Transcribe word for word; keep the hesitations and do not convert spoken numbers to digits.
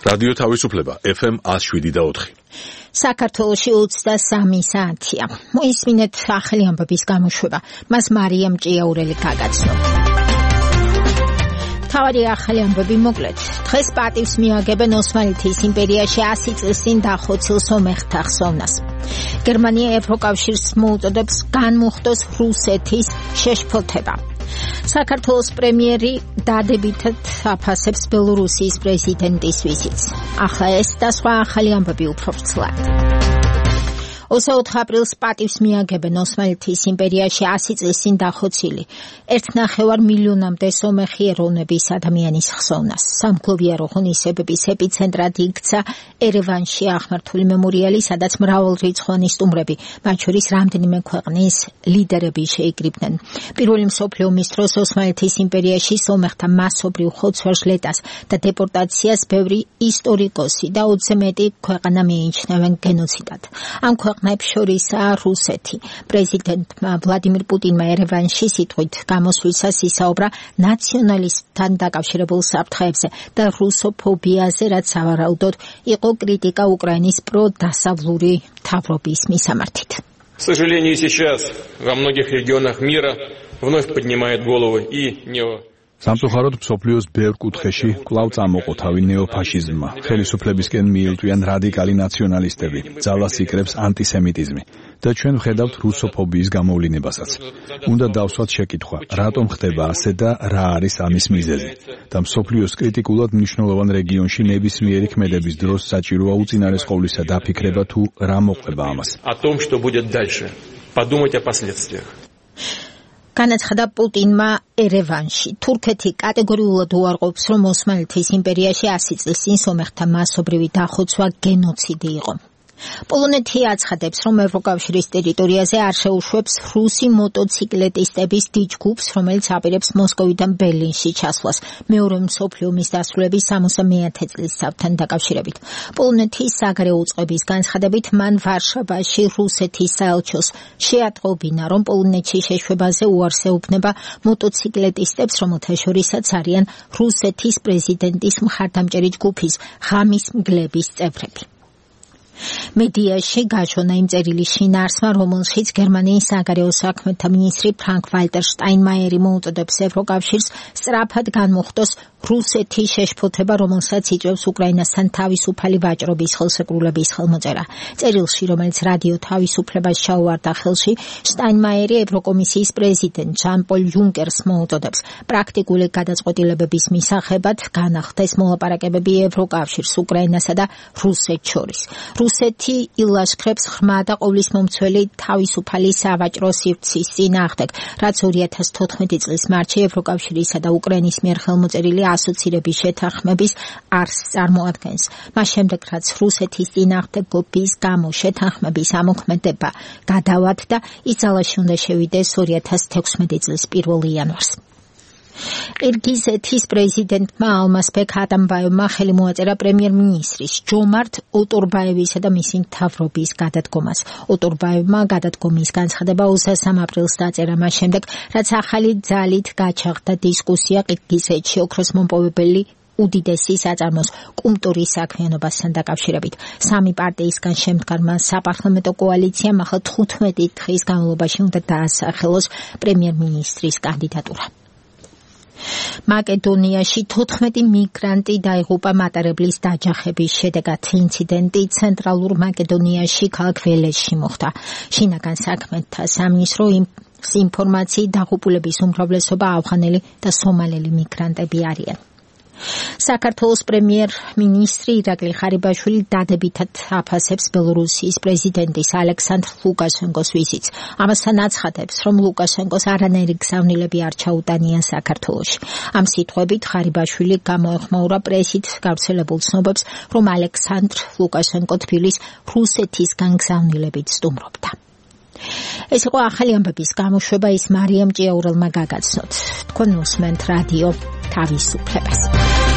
რადიო თავისუფლება ეფ ემ one oh seven და four. საქართველოში ოცდასამი საათია. მოისმინეთ ახალი ამბების გამოშვება. მას მარიამ ჭიაურელი გაგაცნო. თავარი ახალი ამბები მოკლედ. დღეს პატივს მიაგებენ ოსმალეთის იმპერიაში ასი წლის წინ დახოცილ სომეხთა ხსოვნას. გერმანია ევროკავშირს მოუწოდებს განმუხტოს რუსეთის შეშფოთება. საქართველოს პრემიერი დადებითად აფასებს ბელორუსიის პრეზიდენტის ვიზიტს. ახლა ეს და სხვა ახალი ამბები უფრო ვრცლად. ოცდაოთხ აპრილს პატივს მიაგებენ ოსმალეთის იმპერიაში ასი წლის წინ დახოცილი ერთნახევარ მილიონამდე სომეხი ეროვნების ადამიანის ხსოვნას. სამგლოვიარო ღონისძიებების ეპიცენტრად იქცა ერევანში აღმართული მემორიალი, სადაც მრავალრიცხოვანი სტუმრები, მათ შორის რამდენიმე ქვეყნის ლიდერები შეიკრიბნენ. პირველი მსოფლიო ომის დროს ოსმალეთის იმპერიაში სომეხთა მასობრივ ხოცვა-ჟლეტას და დეპორტაციას ბევრი ისტორიკოსი და ოცზე მეტი ქვეყანა მიიჩნევენ გენოციდად. ამ ქვეყნებს შორისაა რუსეთი. პრეზიდენტმა ვლადიმირ პუტინმა ერევანში სიტყვით გამოსვლისას ისაუბრა ნაციონალიზმთან დაკავშირებულ საფრთხეებზე და რუსოფობიაზე, რაც სავარაუდოდ იყო კრიტიკა უკრაინის პროდასავლური მთავრობის მისამართით. К сожалению, сейчас во многих регионах мира вновь поднимает головы и нео სამწუხაროდ მსოფლიოს ბევრ კუთხეში კვლავ წამოყო თავი ნეოფაშიზმმა. ხელისუფლებისკენ მიილტვიან რადიკალი ნაციონალისტები, ძალას იკრებს ანტისემიტიზმი და ჩვენ ვხედავთ რუსოფობიის გამოვლინებასაც. უნდა დავსვათ შეკითხვა, რატომ ხდება ასე და რა არის ამის მიზეზი? და მსოფლიოს კრიტიკულად მნიშვნელოვან რეგიონში ნებისმიერი ქმედების დროს საჭიროა უწინარესყოვლისა დაფიქრება თუ რა მოყვება ამას. О том, что будет дальше. Подумать о последствиях. განაცხადა პუტინმა ერევანში. თურქეთი კატეგორიულად უარყოფს, რომ ოსმალეთის იმპერიაში ასი წლის წინ სომეხთა მასობრივი დახოცვა გენოციდი იყო. პოლონეთი აცხადებს, რომ ევროკავშირის ტერიტორიაზე არ შეუშვებს რუსი მოტოციკლეტისტების დიდ ჯგუფს, რომელიც აპირებს მოსკოვიდან ბერლინში ჩასვლას მეორე მსოფლიო ომის დასრულების სამოცდამეათე წლისთავთან დაკავშირებით. პოლონეთის საგარეო უწყების განცხადებით, მან ვარშავაში რუსეთის საელჩოს შეატყობინა, რომ პოლონეთში შეშვებაზე უარს ეუბნება მოტოციკლეტისტებს, რომელთა შორისაც არიან რუსეთის პრეზიდენტის მხარდამჭერი ჯგუფის ღამის მგლების წევრები. მედიაში გაჩვენა იმ წერილის შინაარსმა, რომელშიც გერმანიის საგარეო საქმეთა მინისტრი ფრანკ ვალტერ შტაინმაიერი მოუწოდებს ევროკავშირს სწრაფად განმუხტოს რუსეთის შეშფოთება, რომელსაც იწვევს უკრაინასთან თავისუფალი ვაჭრობის ხელშეკრულების ხელმოწერა. წერილში, რომელიც რადიო თავისუფლებას ჩაუვარდა ხელში, შტაინმაიერი ევროკომისიის პრეზიდენტ ჟან პოლ იუნკერს მოუწოდებს პრაქტიკული გადაწყვეტილებების მისაღებად განახდეს მოლაპარაკებები ევროკავშირს, უკრაინასა და რუსეთს შორის. რუსეთი ილაშქრებს ღრმა და ყოვლისმომცველი თავისუფალი სავაჭრო სივრცის წინააღმდეგ, რაც ორი ათას თოთხმეტი წლის მარტში ევროკავშირისა და უკრაინის მიერ ხელმოწერილი ასოცირების შეთანხმების არსს წარმოადგენს. მას შემდეგ, რაც რუსეთის წინააღმდეგობის გამო შეთანხმების ამოქმედება გადავად და ის ძალაში უნდა შევიდეს ორი ათას თექვსმეტი წლის პირველი იანვარს. ყირგიზეთის პრეზიდენტმა ალმასბეკ ატამბაევმა ხელი მოაწერა პრემიერ-მინისტრის ჯომართ ოტორბაევისა და მისი მთავრობის გადადგომას. ოტორბაევმა გადადგომის განცხადება ოცდასამ აპრილს დაწერა მას შემდეგ, რაც ახალი ძალით გაჩაღდა დისკუსია ყირგიზეთში ოქროს მომპოვებელი უდიდესი საწარმოს კუმტურის საქმიანობასთან დაკავშირებით. სამი პარტიისგან შემდგარმა საპარლამენტო კოალიციამ ახლა თხუთმეტი დღის განმავლობაში უნდა დაასახელოს პრემიერ-მინისტრის კანდიდატურა. მაკედონიაში თოთხმეტი მიგრანტი დაიღუპა მატარებლის დაჯახების შედეგად. ინციდენტი ცენტრალურ მაკედონიაში ქალაქ ველესში მოხდა. შინაგან საქმეთა სამინისტროს ინფორმაციით დაღუპულების უმრავლესობა ავღანელი და სომალელი მიგრანტები არიან. საქართველოს პრემიერ-მინისტრი ირაკლი ხარიბაშვილი დადებითად აფასებს ბელორუსიის პრეზიდენტის ალექსანდრ ლუკაშენკოს ვიზიტს. ამასთან აცხადებს, რომ ლუკაშენკოს არანაირი გზავნილები არ ჩაუტანია საქართველოში. ამ სიტყვებით ხარიბაშვილი გამოეხმაურა პრესით გავრცელებულ ცნობებს, რომ ალექსანდრ ლუკაშენკო თბილის რუსეთისგან გზავნილებით სტუმრობდა. ეს იყო ახალი ამბების გამოშვება, ის მარიამ ჭიაურელმა გაგაცნოთ. თქვენ უსმენთ რადიო თავისუფლებას.